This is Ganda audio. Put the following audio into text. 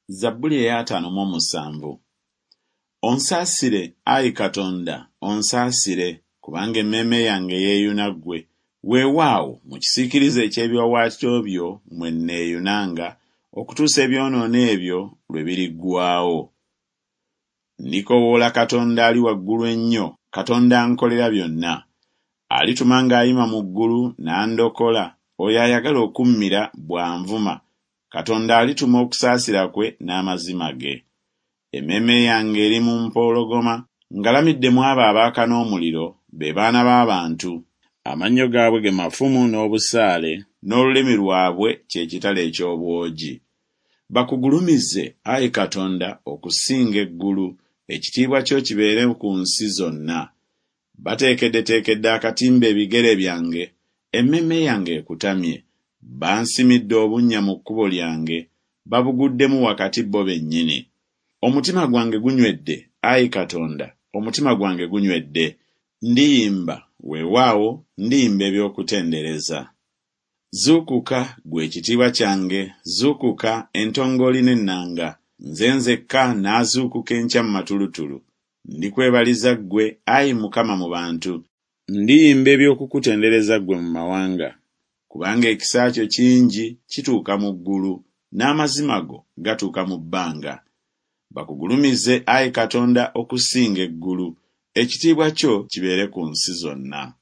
Zabbuli ey'ataano mu omusanvu. Onsaasire, ayi Katonda, onsaasire, kubanga emmeeme yange yeeyuna ggwe. Weewaawo, mu kisiikirize eky'ebiwaawaatiro byo mwe nneeyunanga, okutuusa ebyonoono ebyo lwe biriggwaawo. Ndikoowoola Katonda ali waggulu ennyo, Katonda ankolera byonna. Alituma ng'ayima mu ggulu n'andokola, oyo ayagala okummira bw'anvuma, Katonda alituma okusaasira kwe n'amazima ge. Emmeeme yange eri mu mpologoma, ngalamidde mu abo abaaka n'omuliro, be baana b'abantu. Amannyo gaabwe ge mafumu n'obusaale, n'olulimi lwabwe kye kitala eky'obwogi. Bakugulumize, ayi Katonda, okusinga eggulu, ekitiibwa kyo kibeere ku nsi zonna. Bateekeddeteekedde akatimba ebigere byange, emmeeme yange ekutamye. Bansimidde obunnya mu kkubo lyange, babuguddemu wakati bo bennyini. Omutima gwange gunywedde, ayi Katonda, omutima gwange gunywedde. Ndiyimba, weewaawo, ndiyimba eby'okutendereza. Zuukuka, ggwe ekitiibwa kyange, zuukuka, entongooli n'ennanga. Nze nzekka naazuukuka enkya mu matulutulu. Ndikwebaliza ggwe, ayi Mukama, mu bantu. Ndiyimba eby'okukutendereza ggwe mu mawanga. Kubanga ekisa kyo kingi kituuka mu ggulu, n'amazima go gatuuka mu bbanga. Bakugulumize, ayi Katonda, okusinga eggulu, ekitiibwa kyo kibeere ku nsi zonna.